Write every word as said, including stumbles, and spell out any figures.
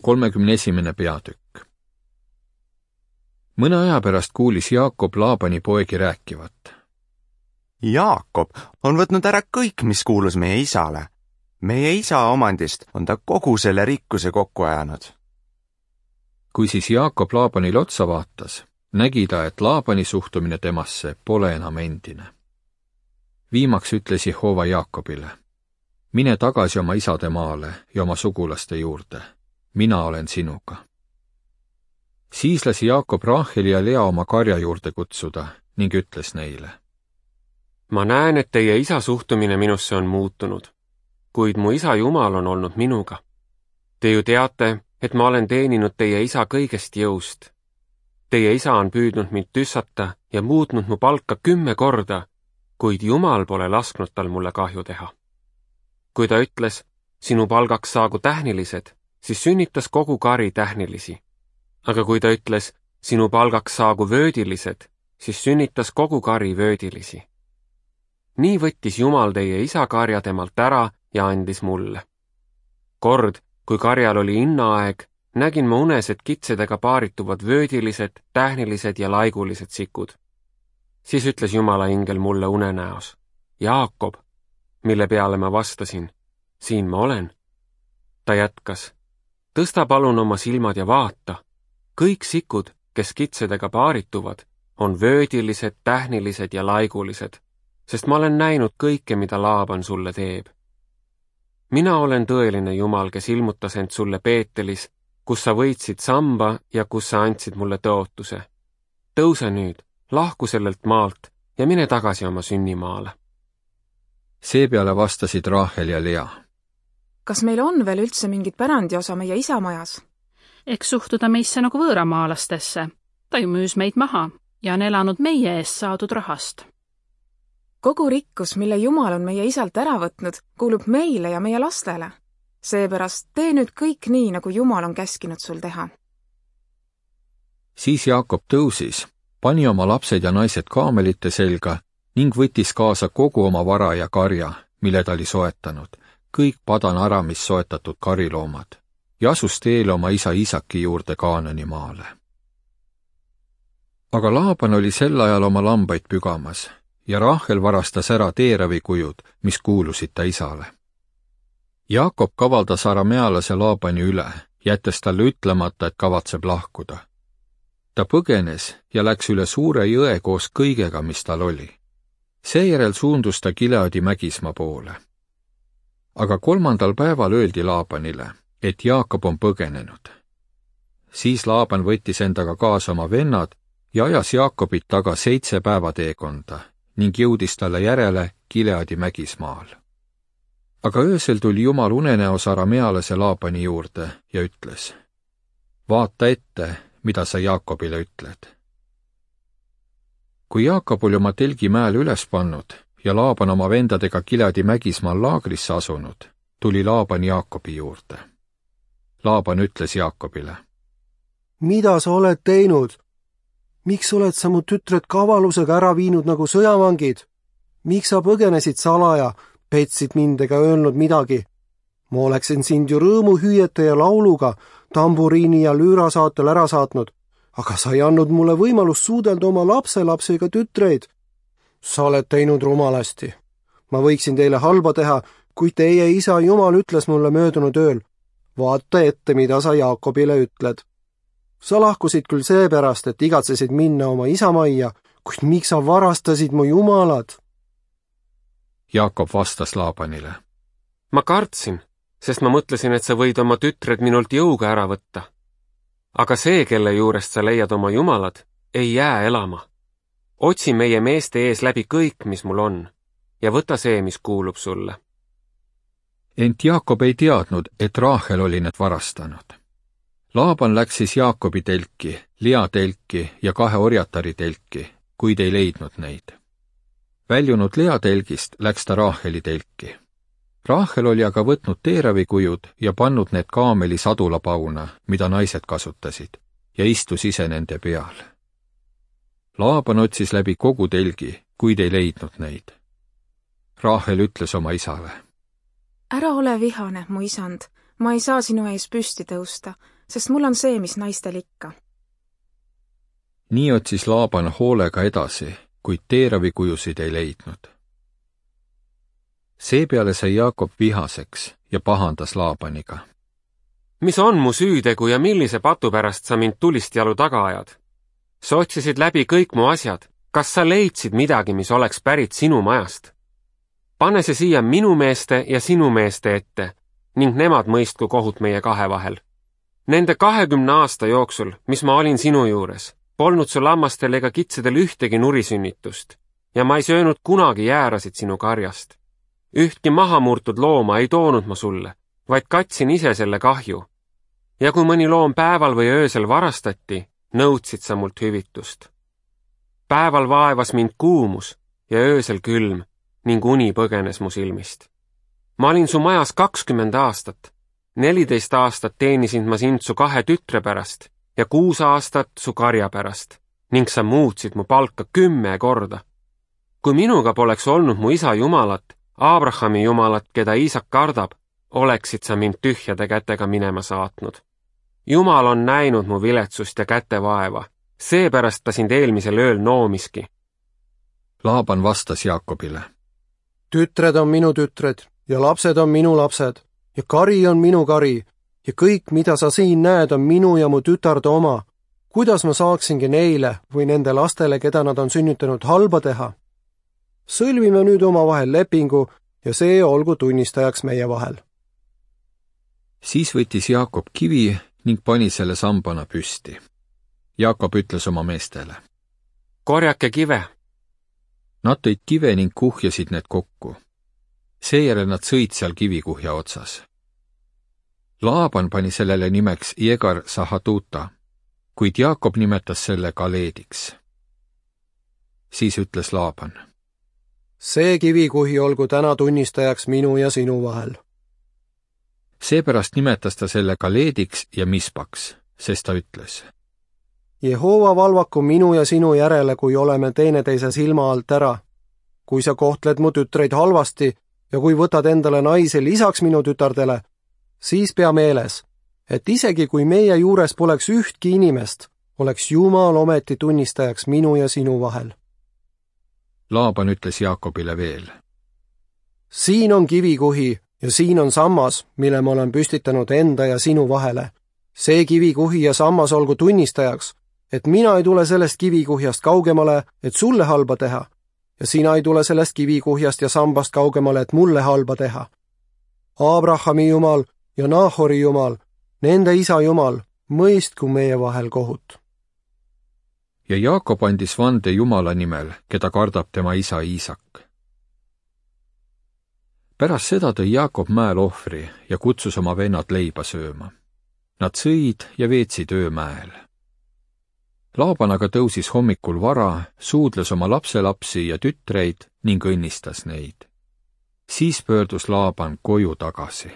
kolmekümne esimene peatükk. Mõne aja pärast kuulis Jaakob Laabani poegi rääkivat. Jaakob on võtnud ära kõik, mis kuulus meie isale. Meie isa omandist on ta kogu selle rikkuse kokku ajanud. Kui siis Jaakob Laabanil otsa vaatas, nägi ta, et Laabani suhtumine temasse pole enam endine. Viimaks ütles Jehova Jaakobile: mine tagasi oma isade maale ja oma sugulaste juurde. Mina olen sinuga. Siis lasi Jaakob Raaheli ja Lea oma karja juurde kutsuda ning ütles neile: ma näen, et teie isa suhtumine minusse on muutunud, kuid mu isa Jumal on olnud minuga. Te ju teate, et ma olen teeninud teie isa kõigest jõust. Teie isa on püüdnud mind tüssata ja muutnud mu palka kümme korda, kuid Jumal pole lasknud tal mulle kahju teha. Kui ta ütles, sinu palgaks saagu tähnilised, siis sünnitas kogu kari tähnilisi. Aga kui ta ütles, sinu palgaks saagu vöödilised, siis sünnitas kogu kari vöödilisi. Nii võttis Jumal teie isa karja temalt ära ja andis mulle. Kord, kui karjal oli innaaeg, nägin ma unes, et kitsedega paarituvad vöödilised, tähnilised ja laigulised sikud. Siis ütles Jumala ingel mulle unenäos: Jaakob, mille peale ma vastasin: siin ma olen. Ta jätkas: tõsta palun oma silmad ja vaata. Kõik sikud, kes kitsedega paarituvad, on vöödilised, tähnilised ja laigulised, sest ma olen näinud kõike, mida Laaban sulle teeb. Mina olen tõeline Jumal, kes ilmutas end sulle Peetelis, kus sa võitsid samba ja kus sa andsid mulle tõotuse. Tõuse nüüd, lahku sellelt maalt ja mine tagasi oma sünnimaale. Seepeale vastasid Raahel ja Lea: kas meil on veel üldse mingit pärandiosa meie isa majas? Eks suhtuda meisse nagu võõramaalastesse. Ta ju müüs meid maha ja on elanud meie eest saadud rahast. Kogu rikkus, mille Jumal on meie isalt ära võtnud, kuulub meile ja meie lastele. Seepärast tee nüüd kõik nii, nagu Jumal on käskinud sul teha. Siis Jaakob tõusis, pani oma lapsed ja naised kaamelite selga ning võttis kaasa kogu oma vara ja karja, mille ta oli soetanud, kõik Padan Aramis soetatud kariloomad, ja asus teele oma isa Isaki juurde Kaanani maale. Aga Laaban oli sel ajal oma lambaid pügamas ja Raahel varastas ära teeravikujud, mis kuulusid ta isale. Jaakob kavaldas aramealase Laabani üle, jättes talle ütlemata, et kavatseb lahkuda. Ta põgenes ja läks üle suure jõe koos kõigega, mis tal oli. Seejärel suundus ta Gileadi mägismaa poole. Aga kolmandal päeval öeldi Laabanile, et Jaakob on põgenenud. Siis Laaban võttis endaga kaasa oma vennad ja ajas Jaakobit taga seitse päeva teekonda ning jõudis talle järele Gileadi mägismaal. Aga öösel tuli Jumal unenäos aramealase Laabani juurde ja ütles: vaata ette, mida sa Jaakobile ütled. Kui Jaakob oli oma telgimäel üles pannud ja Laaban oma vendadega Gileadi mägismaal laagrisse asunud, tuli Laaban Jaakobi juurde. Laaban ütles Jaakobile: mida sa oled teinud? Miks oled sa mu tütred kavalusega ära viinud nagu sõjavangid? Miks sa põgenesid salaja, petsid mind ega öelnud midagi? Ma oleksin sind ju rõõmuhüüete ja lauluga, tamburiini ja lüüra saatel ära saatnud, aga sa ei andnud mulle võimalust suudelda oma lapselapsega tütreid. Sa oled teinud rumalasti. Ma võiksin teile halba teha, kui teie isa Jumal ütles mulle möödunud ööl: vaata ette, mida sa Jaakobile ütled. Sa lahkusid küll seepärast, et igatsesid minna oma isamajja, kuid miks sa varastasid mu jumalad? Jaakob vastas Laabanile: ma kartsin, sest ma mõtlesin, et sa võid oma tütred minult jõuga ära võtta. Aga see, kelle juurest sa leiad oma jumalad, ei jää elama. Otsi meie meeste ees läbi kõik, mis mul on, ja võta see, mis kuulub sulle. Ent Jaakob ei teadnud, et Raahel oli need varastanud. Laaban läks siis Jaakobi telki, Lea telki ja kahe orjatari telki, kuid ei leidnud neid. Väljunud Lea telgist läks ta Raaheli telki. Raahel oli aga võtnud teeravikujud ja pannud need kaameli sadulapauna, mida naised kasutasid, ja istus ise nende peal. Laaban otsis läbi kogu telgi, kuid ei leidnud neid. Raahel ütles oma isale: ära ole vihane, mu isand, ma ei saa sinu ees püsti tõusta, sest mul on see, mis naistel ikka. nii otsis Laaban hoolega edasi, kuid teeravikujusid ei leidnud. Seepeale sai Jaakob vihaseks ja pahandas Laabaniga. mis on mu süütegu ja millise patu pärast sa mind tulist jalu taga ajad? Sa otsisid läbi kõik mu asjad. Kas sa leidsid midagi, mis oleks pärit sinu majast? Pane see siia minu meeste ja sinu meeste ette ning nemad mõistku kohut meie kahe vahel. Nende kahekümne aasta jooksul, mis ma olin sinu juures, polnud sul lammastel ega kitsedel ühtegi nurisünnitust ja ma ei söönud kunagi jäärasid sinu karjast. Ühtki mahamurtud looma ei toonud ma sulle, vaid katsin ise selle kahju. Ja kui mõni loom päeval või öösel varastati, nõudsid sa mult hüvitust. Päeval vaevas mind kuumus ja öösel külm ning uni põgenes mu silmist. Ma olin su majas kakskümmend aastat. Neliteist aastat teenisin ma sind su kahe tütre pärast ja kuus aastat su karja pärast ning sa muutsid mu palka kümme korda. Kui minuga poleks olnud mu isa Jumalat, Abrahami Jumalat, keda Iisak kardab, oleksid sa mind tühjade kätega minema saatnud. Jumal on näinud mu viletsust ja kätevaeva, seepärast ta sind eelmisel ööl noomiski. Laaban vastas Jaakobile. Tütred on minu tütred ja lapsed on minu lapsed ja kari on minu kari ja kõik, mida sa siin näed, on minu ja mu tütarde oma. Kuidas ma saaksingi neile või nende lastele, keda nad on sünnitanud, halba teha? Sõlmime nüüd oma vahel lepingu ja see olgu tunnistajaks meie vahel. Siis võttis Jaakob kivi ning pani selle sambana püsti. Jaakob ütles oma meestele. Korjake kive. Nad tõid kive ning kuhjasid need kokku. Seejärel nad sõid seal kivikuhja otsas. Laaban pani sellele nimeks Jegar Sahatuta, kuid Jaakob nimetas selle Galeediks. Siis ütles Laaban. See kivikuhi olgu täna tunnistajaks minu ja sinu vahel. Seepärast nimetas ta selle Galeediks ja Mispaks, sest ta ütles. Jehova valvaku minu ja sinu järele, kui oleme teineteise silma alt ära. Kui sa kohtled mu tütreid halvasti ja kui võtad endale naise lisaks minu tütardele, siis pea meeles, et isegi kui meie juures poleks ühtki inimest, oleks Jumal ometi tunnistajaks minu ja sinu vahel. Laaban ütles Jaakobile veel. Siin on kivikuhi ja siin on sammas, mille ma olen püstitanud enda ja sinu vahele. See kivikuhi ja sammas olgu tunnistajaks, et mina ei tule sellest kivikuhjast kaugemale, et sulle halba teha, ja sina ei tule sellest kivikuhjast ja sambast kaugemale, et mulle halba teha. Abrahami Jumal ja Nahori Jumal, nende isa Jumal, mõistku meie vahel kohut. Ja Jaakob andis vande Jumala nimel, keda kardab tema isa Iisak. Pärast seda tõi Jaakob mäel ohvri ja kutsus oma vennad leiba sööma. Nad sõid ja veetsid öö mäel. Laaban aga tõusis hommikul vara, suudles oma lapselapsi ja tütreid ning õnnistas neid. Siis pöördus Laaban koju tagasi.